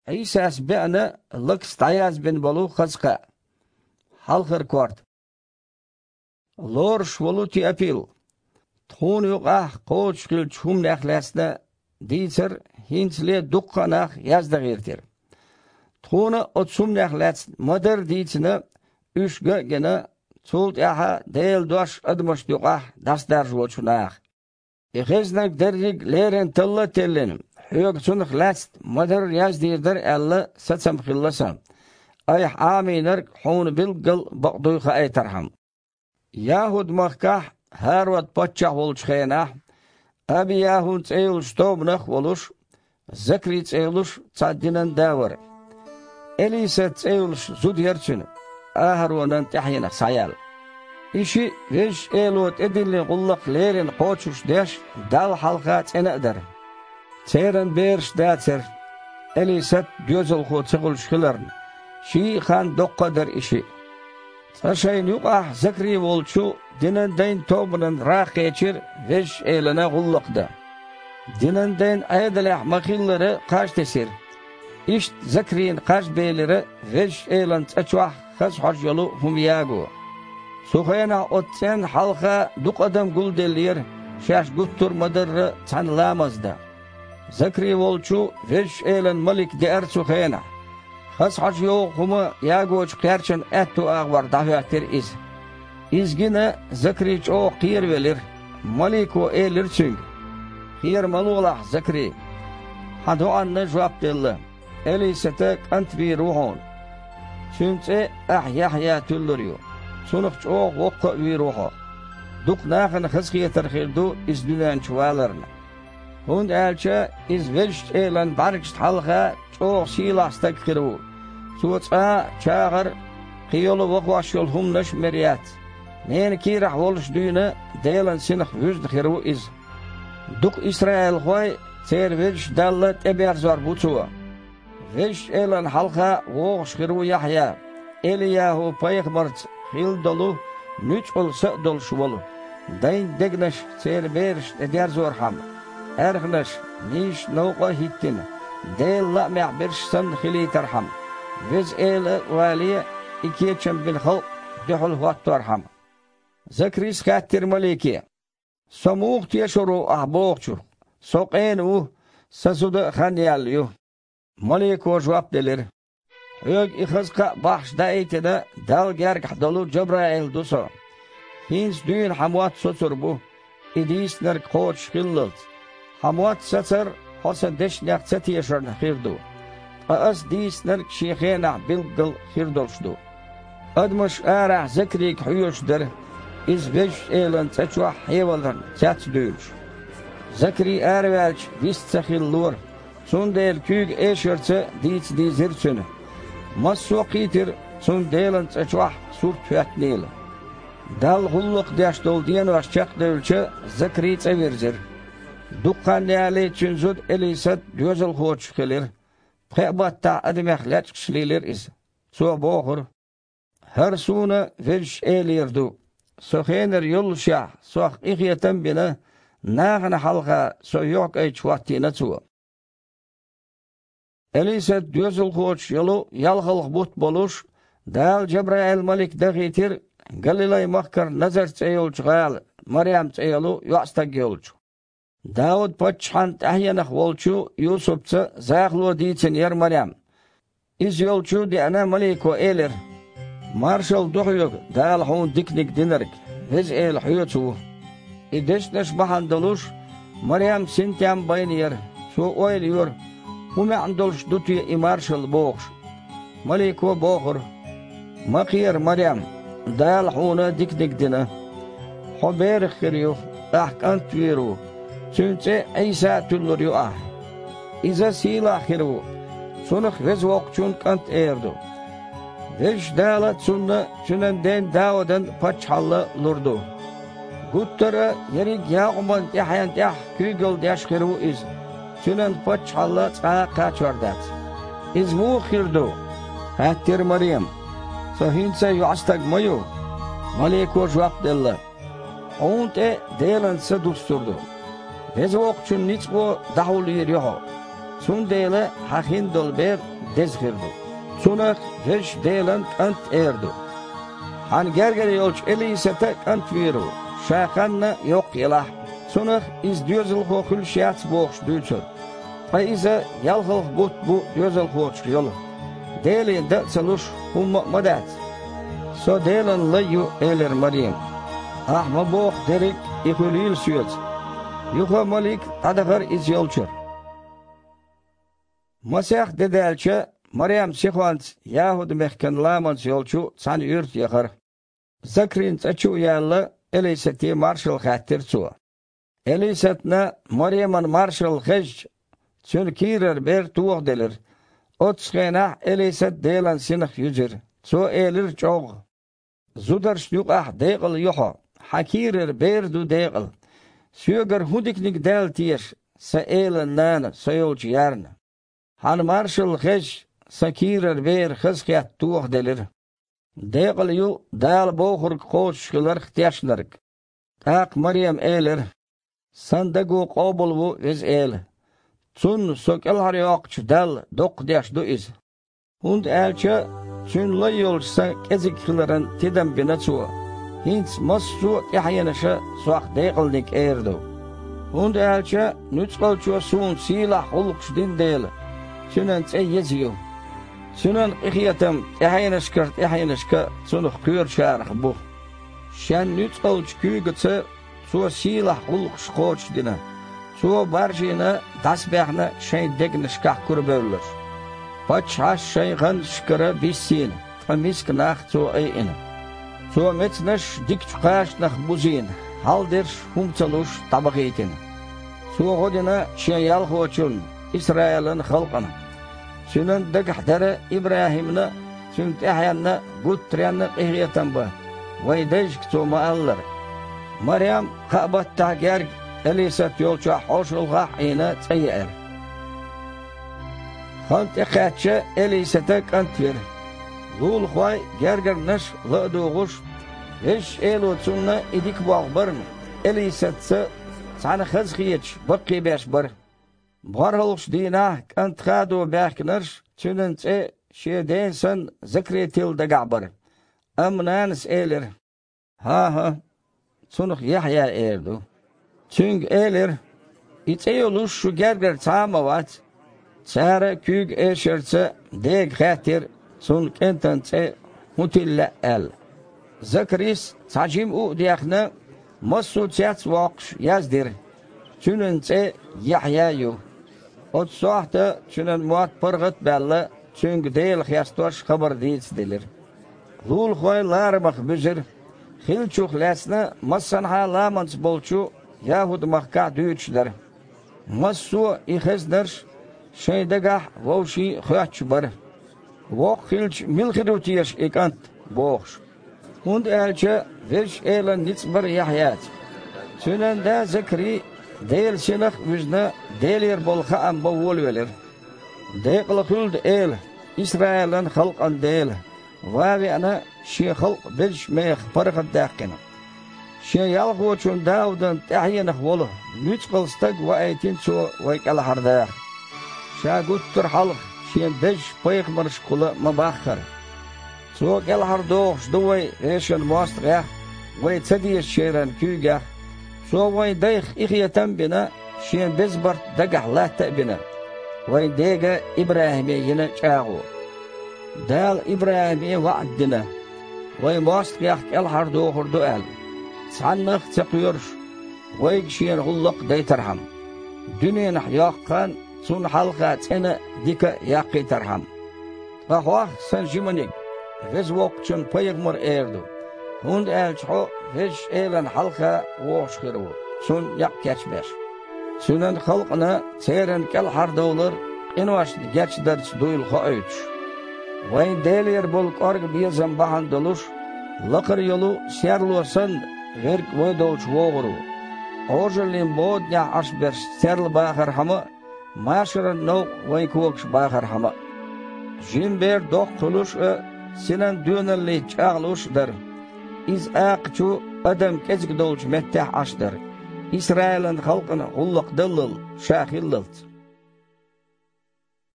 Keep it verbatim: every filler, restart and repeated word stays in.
Ӏийсас беана лакс дӀаязбина болу хаза кхаъ. Хьалхара корта. Лоруш волу Теопил, тхуна юкъахь кхочуш хиллачу хӀуманех лаьцна дийцар хӀинцале дуккха а нах яздан гӀиртира. Тхуна оцу хӀуманех лаьцна ма-дарра дийцина, уьш ган а гина, цул тӀаьхьа Делан дош адамашна юкъахь дӀасадаржочу наха. И хезнарг дерриг леррина талла а теллина, хьоьга цунах лаьцна ма-дарра яздийр дара аьлла сацам хилла сан, айхьа Ӏамийнарг хьуна билггал бакъ дуй хаийтархьама. ЯхӀуд-махкахь ХӀарод-паччахь волчу хенахь, Аби-ЯхӀун цӀе йолчу тобанах а волуш, Закри цӀе йолуш цхьа динан да вара. Элисат цӀе йолуш зуда яра цуьнан, АхӀаронан тӀаьхьенах схьаяьлла. И шиъ Везачу Эло тӀедиллина гӀуллакх леррина кхочуш деш, Далла хьалха цӀена а дара. Церан бераш дацара, Элисат доьзалхо ца хуьлуш хиларна, ший а хан доккха а дара и шиъ. Цкъа шайна юкъахь Закри волчу динан дайн тобанан гӀа кхечира Везачу Элана гӀуллакх дан. Динан дайн Ӏедалехь ма-хиллара кхаж тесира. Иштта Закрина кхаж белира Везачу Элан цӀа чохь хаза хьожа йолу хӀума яго. Цу хенахь оцу цӀенна хьалха дукха адам гулделлера, шаьш гуттар а ма-дарра цхьаьна ламаз дан. Закри волчу Везачу Элан малик деара цу хенахь. Хаза хьожа йогӀу хӀума ягочу кхерчан аьтту агӀор дӀахӀоьттира иза. Иза гина, Закри чӀогӀа кхеравелира. Малико элира цуьнга: «Кхера ма лолахь, Закри. Хьан доӀанна жоп делла. Элисата кӀант вийр ву хьуна. Цуьнан цӀе ахь Яхьъя туьллур ю. Цунах чӀогӀа воккха а вийр ву хьо. Дукха нахана хазахетар хир ду иза дуьнен чу валарна. ХӀунда аьлча иза Везачу Элан бӀаьргашна хьалха чӀогӀа сийлахь стаг хир ву. Цо цкъа а чагӀар а, кхин йолу вахош йолу хӀуманаш а мер яц. Ненан кийрахь волуш дуьйна Делан синах вуьзна хир ву иза». Дукха исраилхой церан Везачу Далла тӀеберзор бу цо. Везачу Элана хьалха вогӀуш хир ву Яхьъя, Эли-ЯхӀу-пайхамарца хилла долу, нуьцкъала са а долуш волу, дайн дегнаш церан берашна тӀедерзорхьама, аьрхнаш, нийсачу новкъа а хӀиттина, Делан лаамехь берш санна хилийтархьама, Веза Эла а вале, и кечам бина халкъ дуьхьал хӀотторхьама. Закрис хаьттира малике: «Со муха тешор ву ахь бохучух? Со къена ву, сан зуда а хан яьлла ю». Малико жоп делира: «Хьоьга и хаза кхаъ бахьаш даийтина Далла гергахь долу Джабраил ду со. ХӀинца дуьйна хьан мотт соцур бу, и дийцинарг кхочуш хиллалц. Хьан мотт сацар хьо сан дешнех ца тешарна хир ду, ткъа ас дийцинарг шен хенахь билггал хир долуш ду». Адамаш арахь Закрига хьоьжуш дара, иза Везачу Элан цӀа чохь хьеваларна цец а дуьйлуш. Закри араваьлча вист ца хилалора, цундела куьйга эшарца дийца дийзира цуьнан. Массо а кхийтира цунна Делан цӀа чохь сурт хӀоьттинийла. Далла гӀуллакх деш долу денош чекхдевлча, Закри цӀа вирзира. Дукха хан ялале цуьнан зуда Элисат доьзалхочух хилира. Пхеа баттахь адамех лечкъаш лелира иза. Цо бохура: «ХӀара суна Везачу Элера ду. Со хенара йоллушехь, сох къинхетам а бина, нахана хьалха со юьхькӀайчу хӀоттийна Цо». Элисат доьзалхочух йолу ялхалгӀа бутт болуш, Дала Джабраил-малик дахийтира Галилай-махкара Назар цӀе йолчу гӀала, Марем цӀе йолу йоӀстаг йолчу. Дауд-паччахьан тӀаьхьенах волчу Юсупца захало дийцина яра Марем. Иза йолчу а деана, малико элира: «Маршалла ду хьоьга, Дала хьуна диканиг динарг, Веза Эла хьоьца ву». И дешнаш бахьана долуш, Марем синтем а байнера. Цо ойла йора: «ХӀун маьӀна долуш ду те и маршалла?» – бохуш. Малико бохура: «Ма кхера, Марем, Дала хьуна диканиг дина. Хьо берах хир ю, ахь кӀант вийр ву, цуьнан цӀе Ӏийса а туьллур ю ахь. Иза сийлахь хир ву, цунах Веза Воккхачун кӀант эр ду. Везачу Дала цунна цуьнан ден Даудан паччахьалла лур ду. Гуттара а ерриг Якъубан тӀаьхьенна тӀехь куьйгалла деш хир ву иза, цуьнан паччахьалла цкъа а кхачор дац». «Иза муха хир ду?» – хаьттира Марема. «Со хӀинца а йоӀстаг ма ю». Малико жоп делла: «Хьуна тӀе Делан Са дуссур ду. Веза Воккхачун ницкъо дӀахьулйийр ю хьо. Цундела хьан хин долу бер деза хир ду. Цунах Везачу Делан кӀант эр ду. Хьан гергара йолчу Элисата кӀант вийр ву, ша ханна йоккха елахь а. Цунах иза доьзалхо хуьлуш яц бохуш дуьйцура. Ткъа иза ялхалгӀа бутт бу доьзалхочух йолу. Деле дан а ца луш, хӀумма а ма дац. Со Делан лай ю, элира Марема. Ахьа ма боху дерриг а, и хуьлийла соьца. Юха а малик дӀадахара иза йолчуьра. Масех де даьлча, Марем сихонца ЯхӀуд-мехкан ламанца йолчу цхьана юьрта яхара. Закрин цӀа чу а яьлла, Элисате маршалла хаьттира цо. Элисатна Мареман маршалла хезча, цуьнан кийрара бер тохаделира. Оццу хенахь Элисат Делан синах юьзира. Цо элира чӀогӀа: «Зударшна юкъахь декъала ю хьо, хьан кийрара бер ду декъала. Соьгара хӀун диканиг даьлла теша, сан элан нана, со йолчу ярна? Хьан маршалла хезча, сан кийрара бер хазахетта тохаделира. Декъала ю Дала бохург кхочуш хиларх тешнарг». ТӀаккха Марема элира: «Сан даго къобал ву, Веза Эла. Цунна со кӀелхьарйоккхучу Далла доккха деш ду иза. ХӀунда аьлча Цуьнан лай йолчу сан кӀезиг хиларан тидам бина Цо. ХӀинца массо а тӀаьхьенаша сох декъалниг эр ду. ХӀунда аьлча нуьцкъалчо суна сийлахь гӀуллакхаш дина дела, Цуьнан цӀе еза ю. Цуьнан къинхетам тӀаьхьенашкара тӀаьхьенашка Цунах кхоьручарах бу. Шен нуьцкъалчу куьйгаца Цо сийлахь гӀуллакхаш кхочушдина. Цо баржийна, дӀасабаьхна шайн дегнашкахь курабевлларш. Паччахьаш шайн гӀанташкара биссийна, ткъа миска нах Цо айина. Цо мецнаш дикачу кхачанах бузийна, хьалдерш хӀума ца луш дӀабахийтина. Цо гӀо дина Шен ялхочунна, Исраилан халкъана. Цуьнан дагахь дара ИбрахӀимна а, цуьнан тӀаьхьенна а гуттаренна а къинхетам бан, вайн дайшка Цо ма-аллара». Марем кхаа баттахь герга Элисат йолчохь хьошалгӀахь а Ӏийна, цӀа еара. Хан тӀекхаьчча, Элисата кӀант вира. Лулахой а, гергарнаш а ла а дугӀуш, Везачу Эло цунна и дика болх барна, Элисатца цхьаьна хазахеташ баккхийбеш бара. БорхӀалгӀачу дийнахь кӀант хадо баьхкинарш цуьнан цӀе шен ден санна Закри тилла дагахь бара. Амма нанас элира: «ХӀан-хӀа, цунах Яхьъя эр ду». Цуьнга элира: «И цӀе йолуш шу гергара цхьа а ма вац». Цара куьйга эшарца дега хаьттира, цунна кӀентан цӀе хӀун тилла лаьа аьлла. Закрис, цхьа жима у а дехна, массо а цец а воккхуш, яздира: «Цуьнан цӀе Яхьъя ю». Оцу сохьта цуьнан мотт паргӀат а баьлла, цуьнга Дела хестош хабар дийцаделира. Лулахой ларамах буьзира. Хиллачух лаьцна массанхьа а ламанца болчу ЯхӀуд-махкахь дуьйцуш дара. Массо а и хезнарш шайн дагахь а, вовшийн а хоьттуш бара: «Воккха хилча, мила хир ву теша и кӀант?» – бохуш. ХӀунда аьлча Везачу Элан ницкъ бара Яхьъяца. Цуьнан да Закри, Делан Синах а вуьзна, Делера болу хаам бан волавелира. «Декъала хуьлда Эла, Исраилан халкъан Дела, ван а веана, Шен халкъ безачу мехах паргӀатдаьккхина. Шен ялхочун Даудан тӀаьхьенах волу нуьцкъала стаг ваийтина Цо вай кӀелхьардаха. Ша гуттар а хьалха Шен безачу пайхамаршкахула ма-баххара. Цо кӀелхьардохуш ду вай вешан мостагӀех а, вай ца дезачеран куьйгех а. Цо вайн дайх къинхетам а бина, шен беза барт дагахь латта а бина, вайн дега ИбрахӀиме йина чӀагӀо. Дала ИбрахӀиме ваӀда дина, вайн мостагӀех кӀелхьардохур ду аьлла, цхьаннах а ца кхоьруш, вайга Шена гӀуллакх а дайтархьама, дуьненахь йоккха хан Цунна хьалха цӀена а, дика а яккхийтархьама. Ткъа хьох, сан жиманиг, Веза Воккхачун пайхамар эр ду, хӀунда аьлча хьо Везачу Элана хьалха вогӀуш хир ву, Цунна некъ кечбеш, Цуьнан халкъана церан кӀелхьардовлар къиношна гечдарца дуйла хоуьйтуш. Вайн Делера болу кӀорга безам бахьана долуш, лакхара йолу серло санна, верг вай долчу вогӀур ву. Ӏожаллин боданехь Ӏаш берш серла бахархьама а, машаран новкъа вайн когаш бахархьама а. Жима бер доккха хуьлуш а, синан доьналлица чӀагӀлуш а дара. Иза акхачу адам кӀезиг долчу меттехь Ӏаш дара, Исраилан халкъана гӀуллакх даллал ша хиллалц.